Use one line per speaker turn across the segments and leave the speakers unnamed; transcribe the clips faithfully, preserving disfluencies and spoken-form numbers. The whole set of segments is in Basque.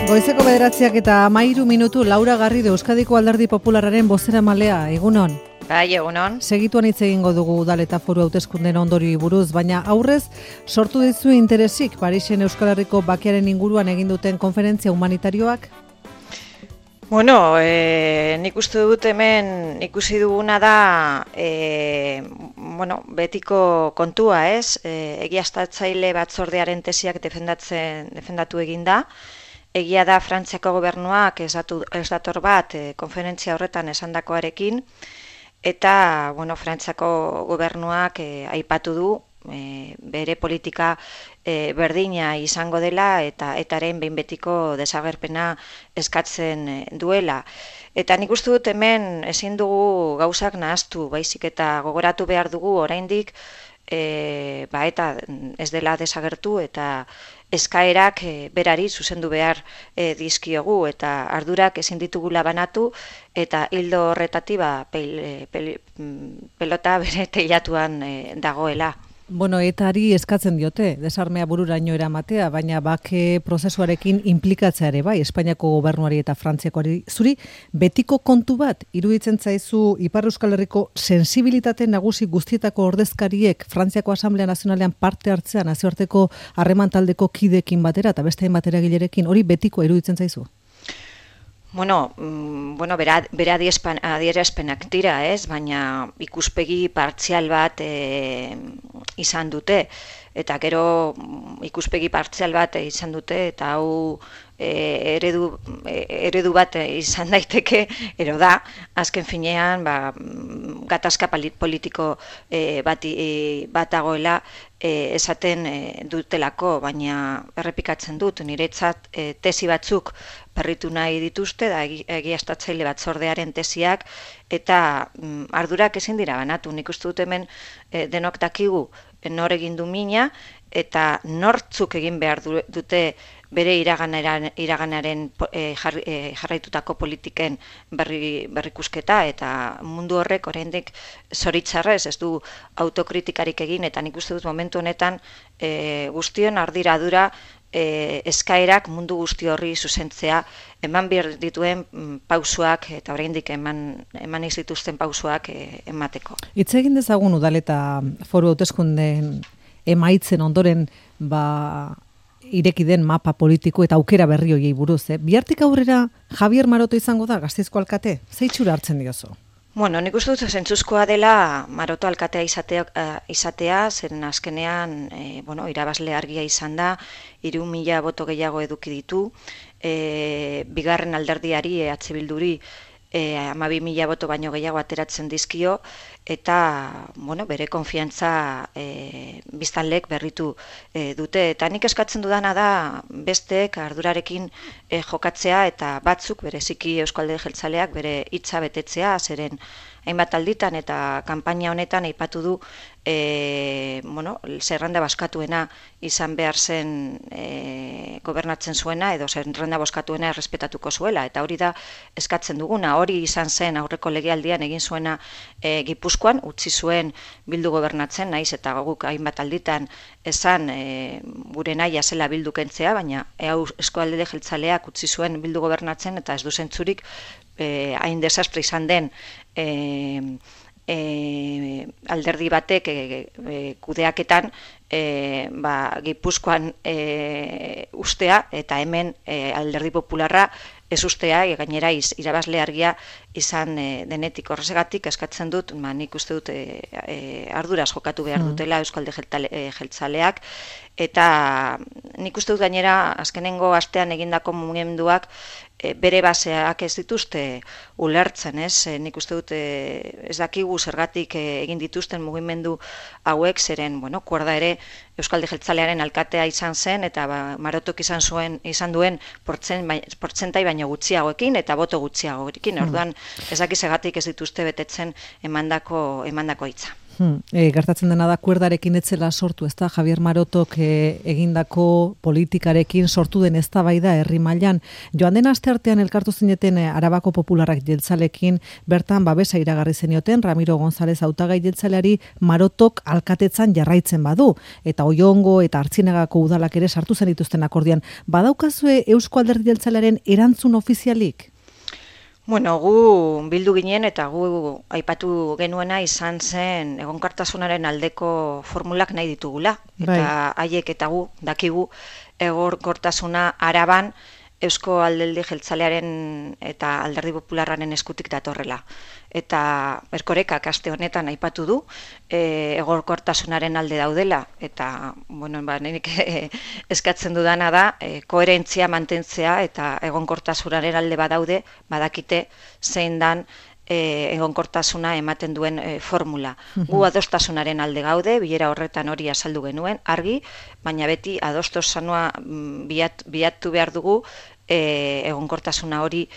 Goizeko bederatziak eta hamairu minutu Laura Garrido Euskadiko Alderdi Popularraren bozeramalea, egunon.
Bai, egunon.
Segituan hitz egingo dugu udal eta foru hauteskundeen ondorioei buruz, baina aurrez sortu dizu interesik Parisen Euskal Herriko bakearen inguruan egin duten konferentzia humanitarioak?
Bueno, e, nik uste dut hemen ikusi duguna da e, bueno, betiko kontua, ez? E, egiaztatzaile batzordearen tesiak defendatzen defendatu egin da. Egia da Frantziako gobernuak ez, datu, ez dator bat e, konferentzia horretan esandakoarekin, eta bueno, Frantziako gobernuak e, aipatu du e, bere politika e, berdina izango dela eta etaren behin betiko desagerpena eskatzen e, duela. Eta nik uste dut hemen ezin dugu gauzak nahaztu, baizik eta gogoratu behar dugu oraindik e, ba, eta ez dela desagertu eta eskaerak e, berari zuzendu behar e, dizkiogu eta ardurak ezin ditugula banatu eta hildo horretatik ba, pel, pel, pelota bere teilatuan e, dagoela.
Bueno, etari eskatzen diote, desarmea bururaino eramatea, baina bake prozesuarekin inplikatzea ere bai, Espainiako gobernuari eta Frantziakoari. Zuri, betiko kontu bat, iruditzen zaizu Ipar Euskal Herriko sensibilitate nagusi guztietako ordezkariek Frantziako Asamblea Nazionalean parte hartzea nazioarteko harreman taldeko kidekin batera eta beste hainbat eragilerekin, hori betiko iruditzen zaizu?
Bueno, mm, bueno, bera, bera adierazpenak dira, ez? Baina ikuspegi partzial bat e, izan dute, eta gero ikuspegi partzial bat izan dute, eta hau e, eredu, e, eredu bat izan daiteke, ero da, azken finean, ba, gatazka politiko e, bat, e, bat dagoela, E, esaten e, dutelako, baina errepikatzen dut, niretzat e, tesi batzuk berritu nahi dituzte, da egiaztatzaile batzordearen tesiak, eta mm, ardurak ezin dira banatu. Nik uste dut hemen e, denok dakigu nor egin du mina, eta nortzuk egin behar dute bere iraganaren, iraganaren e, jar, e, jarraitutako politiken berri, berrikusketa, eta mundu horrek oraindik zoritzarrez ez du autokritikarik egin, eta nik uste dut momentu honetan e, guztion ardiradura e, eskaerak mundu guzti horri zuzentzea, eman behar dituen pausuak, eta oraindik eman, eman izituzten pausuak e, emateko.
Hitz egin dezagun udal eta foru hauteskundeen emaitzen ondoren ba ireki den mapa politiko eta aukera berri hoiei buruz, eh? Bihartik aurrera Javier Maroto izango da Gasteizko alkate? Ze itxura hartzen diozu?
Bueno, nik uste dut zentzuzkoa dela Maroto alkatea izatea, uh, izatea zen azkenean e, bueno, irabazle argia izan da, hiru mila boto gehiago eduki ditu, e, bigarren alderdiari E H Bilduri E, hamabi mila boto baino gehiago ateratzen dizkio, eta bueno, bere konfiantza e, biztanlek berritu e, dute. Eta nik eskatzen dudana da besteek ardurarekin e, jokatzea, eta batzuk bereziki Eusko Alderdi Jeltzaleak bere hitza betetzea, zeren hainbat alditan eta kanpaina honetan aipatu du e, bueno, zerrenda bozkatuena izan behar zen e, gobernatzen zuena, edo zerrenda bozkatuena errespetatuko zuela, eta hori da eskatzen duguna. Hori izan zen aurreko legealdian egin zuena e, Gipuzkoan, utzi zuen Bildu gobernatzen, naiz eta guk hainbat alditan esan e, gure nahia zela Bildu kentzea, baina Eusko Alderdi Jeltzaleak utzi zuen Bildu gobernatzen, eta ez du zentzurik e, hain desastre izan den e, e, alderdi batek e, e, kudeaketan e, ba, Gipuzkoan e, ustea, eta hemen e, Alderdi Popularra ez ustea, e, gainera iz, irabazle argia izan e, denetik. Horregatik eskatzen dut, ma, nik uste dut e, e, arduraz jokatu behar dutela Eusko Alderdi Jeltzaleak, eta nik uste dut gainera azkenengo astean egindako mugimenduak e, bere baseak ez dituzte ulertzen, ez? E, nik uste dut e, ez dakigu zergatik e, egin dituzten mugimendu hauek, zeren, bueno, kuerda ere Eusko Alderdi Jeltzalearen alkatea izan zen, eta ba, Marotok izan zuen izan duen portzentai baino gutxiagoekin eta boto gutxiagoekin. Orduan, ez dakiz egatik ez dituzte betetzen emandako emandako hitza.
Hmm. E, gertatzen dena da kuerdarekin etzela sortu, ez da, Javier Marotok e, egindako politikarekin sortu den eztabaida herri mailan. Joan den asteartean elkartu zineten e, Arabako Popularrak jeltzalekin, bertan babesa iragarri zenioten Ramiro González hautagai jeltzaleari Marotok alkatetzan jarraitzen badu, eta Oiongo eta Artzinagako udalak ere sartu zen dituzten akordian. Badaukazue Eusko Alderdi Jeltzalearen erantzun ofizialik?
Bueno, gu bildu ginen eta gu aipatu genuena izan zen egonkortasunaren aldeko formulak nahi ditugula. Eta haiek eta gu dakigu egonkortasuna Araban Eusko Alderdi Jeltzalearen eta Alderdi Popularraren eskutik datorrela. Eta Erkorekak aste honetan aipatu du e, egonkortasunaren alde daudela. Eta, bueno, ba, nik e, eskatzen dudana da e, koherentzia mantentzea eta egonkortasunaren alde badaude, badakite zein dan e, egonkortasuna ematen duen e, formula. Gu adostasunaren alde gaude, bilera horretan hori azaldu genuen, argi, baina beti adostosanoa biat, biatu behar dugu e, egonkortasuna hori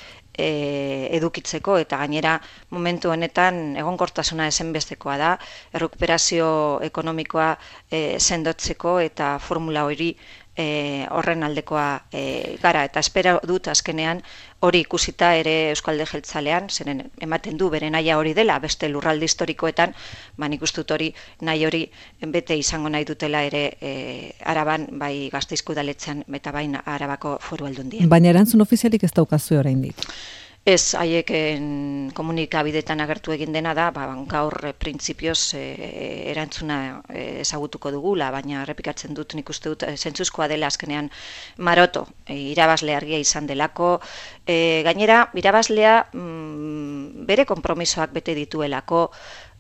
E, edukitzeko, eta gainera momentu honetan egonkortasuna ezinbestekoa da, errekuperazio ekonomikoa e, sendotzeko eta formula hori e, horren aldekoa e, gara, eta espero dut azkenean hori ikusita ere Euskalde Jeltzalean, zeren ematen du bere naia hori dela, beste lurralde historikoetan, ba nik uste dut hori nahi hori bete izango nahi dutela ere e, Araban, bai Gasteizko udaletxean eta bain Arabako Foru Aldundian.
Baina erantzun ofizialik ez daukazue oraindik.
Ez, haieken komunikabidetan agertu egin dena da, ba, gaur e, printzipioz e, erantzuna e, ezagutuko dugula, baina errepikatzen dut nik uste dut e, zentzuzkoa dela azkenean Maroto, e, irabazle argia izan delako, e, gainera irabaslea mm, bere konpromisoak bete dituelako,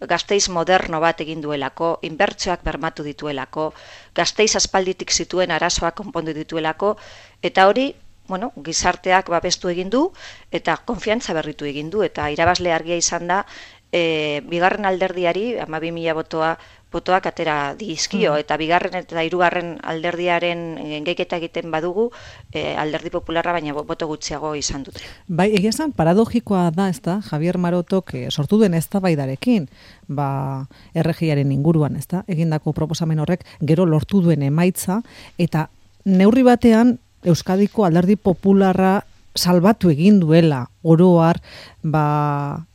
Gasteiz moderno bat egin duelako, inbertsioak bermatu dituelako, Gasteiz aspalditik zituen arazoak konpondu dituelako, eta hori bueno, gizarteak babestu egin du eta konfiantza berritu egin du, eta irabazle argia izan da e, bigarren alderdiari hamabi mila botoa botoak atera dizkio, mm. eta bigarren eta hirugarren alderdiaren geiketa egiten badugu e, Alderdi Popularra baina boto gutxiago izan dute.
Bai, egia esan paradogikoa da, ezta, Javier Marotok e, sortu den eztabaidarekin, ba, erregiaren inguruan, ezta, egindako proposamen horrek gero lortu duen emaitza, eta neurri batean Euskadiko Alderdi Popularra salbatu egin duela oroar, ba,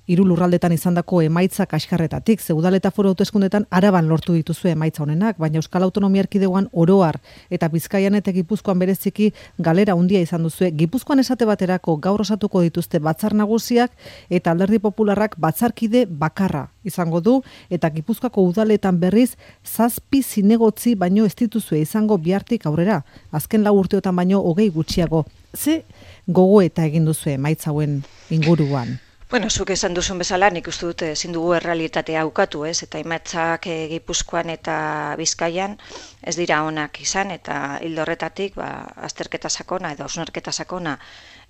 hiru lurraldetan izandako emaitza kaskarretatik. Ze udal eta foru hauteskundetan Araban lortu dituzue emaitza honenak, baina Euskal Autonomia Erkidegoan oroar eta Bizkaian eta Gipuzkoan bereziki galera handia izan duzue. Gipuzkoan esate baterako gaur osatuko dituzte batzar nagusiak eta Alderdi Popularrak batzarkide bakarra izango du, eta Gipuzkoako udaletan berriz zazpi zinegotzi baino ez dituzue izango bihartik aurrera. Azken lau urteotan baino hogei gutxiago. Ze gogoeta egin duzue emaitza hauen inguruan?
Bueno, zuk esan duzun bezala, nik uste dut ezin dugu errealitatea ukatu, ez? Eta emaitzak e, Gipuzkoan eta Bizkaian ez dira onak izan, eta hildo horretatik ba, azterketa sakona edo hausnarketa sakona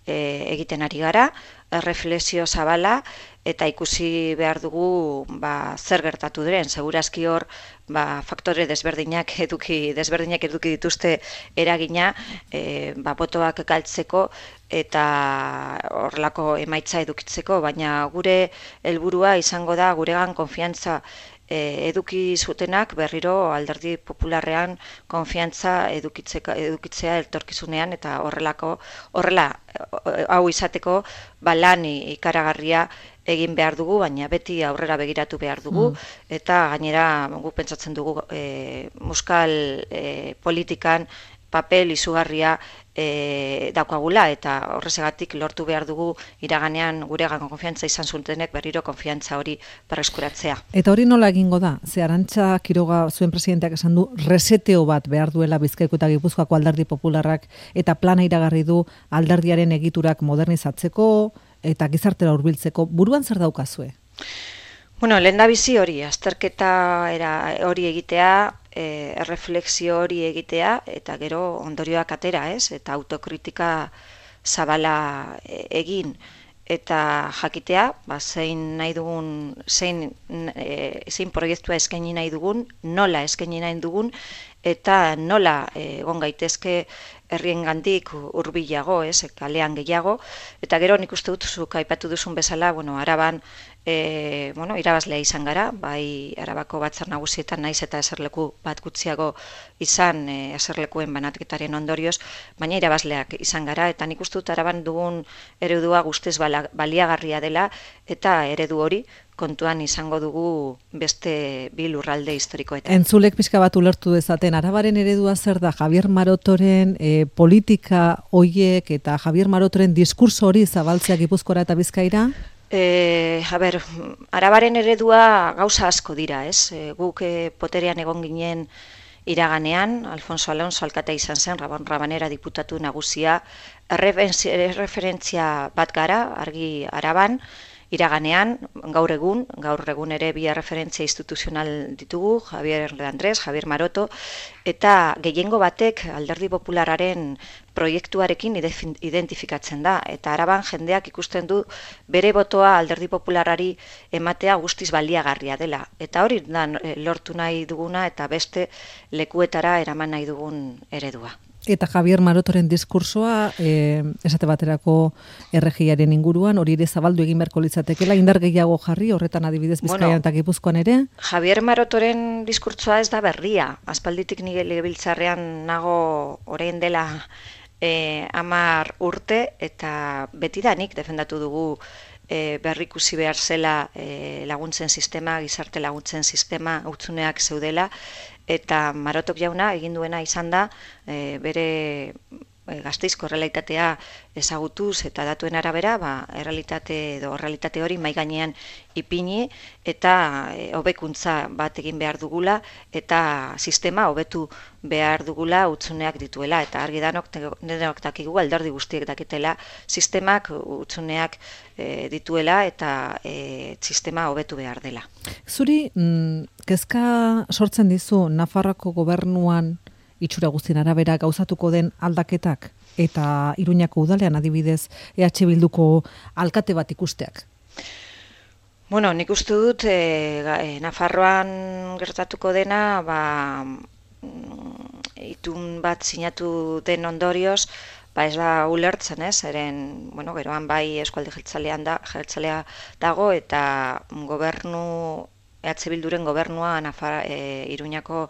e, egiten ari gara, erreflexio zabala, eta ikusi behar dugu ba, zer gertatu diren. Segurazki hor ba, faktore desberdinak eduki desberdinak eduki dituzte eragina e, ba, botoak galtzeko eta horrelako emaitza edukitzeko, baina gure helburua izango da guregan konfiantza e, eduki zutenak berriro Alderdi Popularrean konfiantza edukitzeka, edukitzea etorkizunean, eta horrelako horrela hau izateko ba, lan ikaragarria egin behar dugu, baina beti aurrera begiratu behar dugu, mm. eta gainera gu pentsatzen dugu e, muskal e, politikan papel izugarria e, daukagula, eta horrezegatik lortu behar dugu iraganean guregan konfiantza izan zutenek berriro konfiantza hori berreskuratzea.
Eta hori nola egingo da? Ze Arantxa Quiroga zuen presidenteak esan du reseteo bat behar duela Bizkaiko eta Gipuzkoako Alderdi Popularrak, eta plana iragarri du alderdiaren egiturak modernizatzeko eta gizartera hurbiltzeko. Buruan zer daukazue?
Bueno, lehendabizi hori, azterketa era hori egitea, e, erreflexio hori egitea, eta gero ondorioak atera, ez? Eta autokritika zabala egin, eta jakitea, ba, zein nahi dugun, zein, e, zein proiektua eskaini nahi dugun, nola eskaini nahi dugun, eta nola egon gaitezke herriengandik hurbilago, ez, kalean gehiago, eta gero nik uste dut zuk aipatu duzun bezala, bueno, Araban E, bueno, irabazlea izan gara, bai Arabako batzar nagusietan naiz eta eserleku bat gutxiago izan e, eserlekuen banatketaren ondorioz, baina irabazleak izan gara, eta nik uste dut Araban dugun eredua guztiz baliagarria dela, eta eredu hori kontuan izango dugu beste bi lurralde historikoetan.
Entzulek pixka bat ulertu dezaten, Arabaren eredua zer da Javier Marotoren e, politika hoiek eta Javier Marotoren diskurso hori zabaltzea Gipuzkoara eta Bizkaira?
E, a ber, Arabaren eredua gauza asko dira, ez? E, guk e, poterean egon ginen iraganean, Alfonso Alonso alkate izan zen, Rabon Rabanera diputatu nagusia, erreferentzia bat gara, argi Araban, iraganean, gaur egun, gaur egun ere bi referentzia instituzional ditugu, Javier de Andrés, Javier Maroto, eta gehiengo batek Alderdi Popularraren proiektuarekin identifikatzen da, eta Araban jendeak ikusten du bere botoa Alderdi Popularrari ematea guztiz baliagarria dela, eta hori da lortu nahi duguna eta beste lekuetara eraman nahi dugun eredua.
Eta Javier Marotoren diskursoa, eh, esate baterako erregiaren inguruan, hori ere zabaldu egin beharko litzatekeela, indar gehiago jarri, horretan adibidez Bizkaian bueno, eta Gipuzkoan ere?
Javier Marotoren diskurtsoa ez da berria. Aspalditik nire legebiltzarrean nago orain dela eh, hamar urte, eta betidanik defendatu dugu E, berrikusi behar zela e, laguntzen sistema, gizarte laguntzen sistema hutsuneak zeudela, eta Marotok jauna egin duena izan da e, bere e, Gasteizko errealitatea ezagutuz eta datuen arabera, ba, errealitate edo errealitate hori mahai gainean ipini eta e, hobekuntza bat egin behar dugula eta sistema hobetu behar dugula hutsuneak dituela, eta argi danok denok dakigu alderdi guztiek dakitela sistemak hutsuneak e, dituela eta e, sistema hobetu behar dela.
Zuri, mm, kezka sortzen dizu Nafarroako gobernuan itxura guztien arabera gauzatuko den aldaketak eta Iruñako udalean adibidez E H Bilduko alkate bat ikusteak?
Bueno, nik uste dut e, Nafarroan gertatuko dena, ba, itun bat sinatu den ondorioz, ba ez da ulertzen, ez, eren, bueno, geroan bai eskualde jeltzalean da, jeltzalea dago, eta gobernu, E H Bilduren gobernua Nafar, e, Iruñako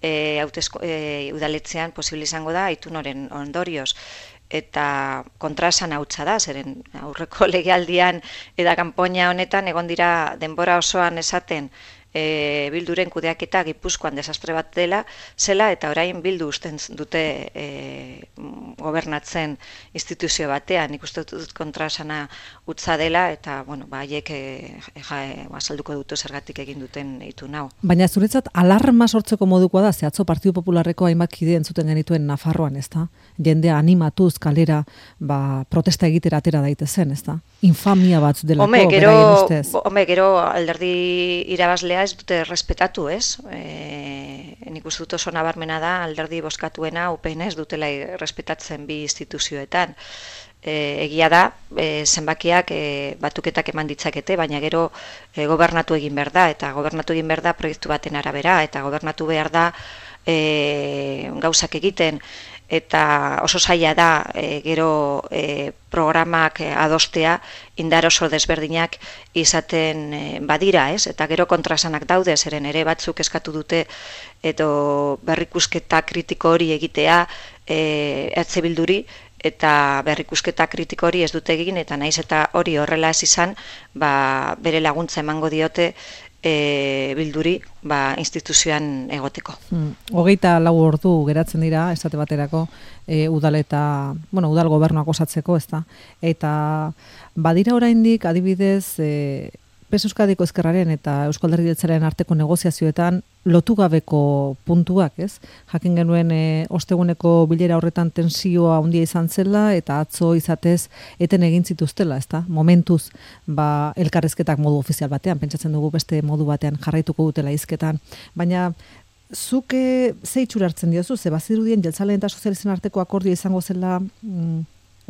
e, hautezko, e, udaletzean posible izango da, itun horren ondorioz. Eta kontraesan hautsa da, zeren aurreko legealdian eta kanpoina honetan egon dira denbora osoan esaten e, Bilduren kudeaketa Gipuzkoan desastre bat dela, zela eta orain Bildu usten dute e, gobernatzen instituzio batean, ikusten dut kontraesana utza dela, eta bueno, ba haiek e, ja, e, azalduko dute zergatik egin duten itun hau.
Baina zuretzat alarma sortzeko modukoa da, ze atzo Partidu Popularreko hainbat kide entzuten genituen Nafarroan, ezta? Jendea animatuz kalera, ba, protesta egitera atera daitezen, ezta? Infamia bat delako,
Home, gero,
beraien ustez.
Home, gero alderdi irabazlea ez dute respetatu, ez? E, nik uste dut oso nabarmena da alderdi bozkatuena U P N ez dutela respetatzen bi instituzioetan. E, egia da, e, zenbakiak e, batuketak eman ditzakete, baina gero e, gobernatu egin behar da, eta gobernatu egin behar da proiektu baten arabera, eta gobernatu behar da e, gauzak egiten, eta oso zaila da e, gero e, programak adostea indar oso desberdinak izaten e, badira, ez? Eta gero kontrasanak daude, zeren ere batzuk eskatu dute edo berrikusketa kritiko hori egitea e, E H Bilduri, eta berrikusketa kritiko hori ez dute egin, eta naiz eta hori horrela ez izan, ba, bere laguntza emango diote E, Bilduri ba, instituzioan egoteko.
Hmm. Hogeita lau ordu geratzen dira, esate baterako, e, udal eta, bueno, udal gobernuak osatzeko, ezta? Eta badira oraindik adibidez, e, P S Euskadiko Ezkerraren eta Eusko Alderdi Jeltzalearen arteko negoziazioetan lotu gabeko puntuak, ez? Jakin genuen e, osteguneko bilera horretan tensioa handia izan zela eta atzo izatez eten egin zituztela, ezta? Momentuz, ba, elkarrezketak modu ofizial batean, pentsatzen dugu beste modu batean jarraituko dutela hizketan, baina zuk ze itxura hartzen diozu, ze bazirudien jeltzaleen eta sozialisten arteko akordioa izango zela mm,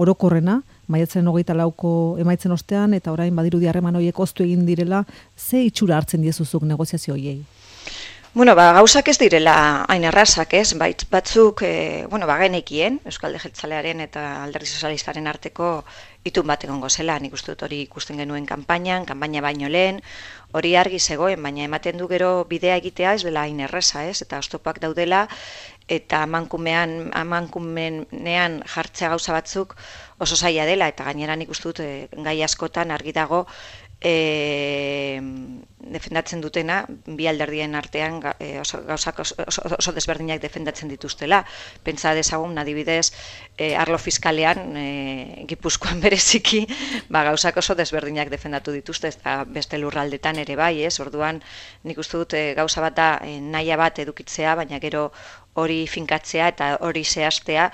orokorrena, maiatzaren hogeita lauko emaitzen ostean, eta orain badirudi harreman horiek oztu egin direla, ze itxura hartzen diezuzuk negoziazio horiei?
Bueno, ba, gauzak ez direla hain errazak, ez? Bait, batzuk, e, bueno, ba, genekien, Euskalde Jeltzalearen eta Alderdi Sozialistaren arteko itun bat egongo zela. Nik uste dut hori ikusten genuen kanpainan, kanpaina baino lehen, hori argi zegoen, baina ematen du gero bidea egitea ez dela hain erraza, ez? Eta oztopak daudela, eta amankumean, amankumenean jartzea gauza batzuk oso zaila dela, eta gainera nik uste dut e, gai askotan argi dago, E, defendatzen dutena, bi alderdien artean e, oso, gauzak oso, oso, oso desberdinak defendatzen dituztela. Pentsa dezagun, adibidez, e, arlo fiskalean, e, Gipuzkoan bereziki, ba, gauzak oso desberdinak defendatu dituzte, eta beste lurraldetan ere bai, ez? Orduan, nik uste dut e, gauza bat da e, nahia bat edukitzea, baina gero hori finkatzea eta hori zehaztea,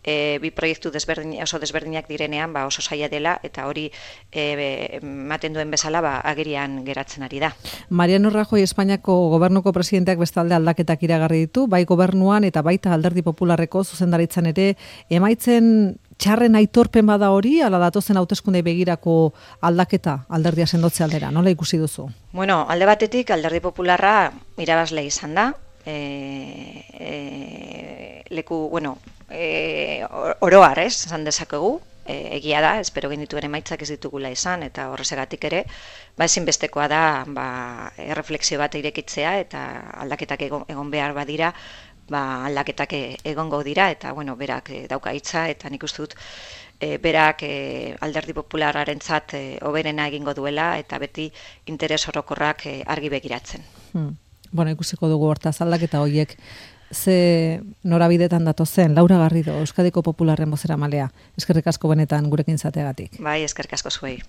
E, bi proiektu desberdin, oso desberdinak direnean ba, oso zaila dela, eta hori ematen duen bezala ba, agerian geratzen ari da.
Mariano Rajoy Espainiako gobernuko presidenteak bestalde aldaketak iragarri ditu, bai gobernuan eta baita Alderdi Popularreko zuzendaritzan ere, emaitzen txarren aitorpen bada hori, ala datozen hauteskundei begirako aldaketa alderdia sendotze aldera, nola ikusi duzu?
Bueno, alde batetik Alderdi Popularra irabazle izan da, e, e, leku, bueno, E, oroar, ez, esan dezakegu, e, egia da, espero genituen emaitzak ez ditugula izan, eta horrezegatik ere, ba ezinbestekoa da, ba, erreflexio bat irekitzea, eta aldaketak egon, egon behar badira, ba, aldaketak egongo dira, eta, bueno, berak e, dauka hitza, eta nik uste dut, e, berak e, Alderdi Popularrarentzat e, hoberena egingo duela, eta beti interes orokorrak e, argi begiratzen.
Hmm. Bueno, ikusiko dugu hortaz aldaketa horiek, ze norabidetan datozen. Laura Garrido, Euskadiko Popularren bozeramalea. Eskerrik asko benetan gurekin zateagatik.
Bai, eskerrik asko zuei.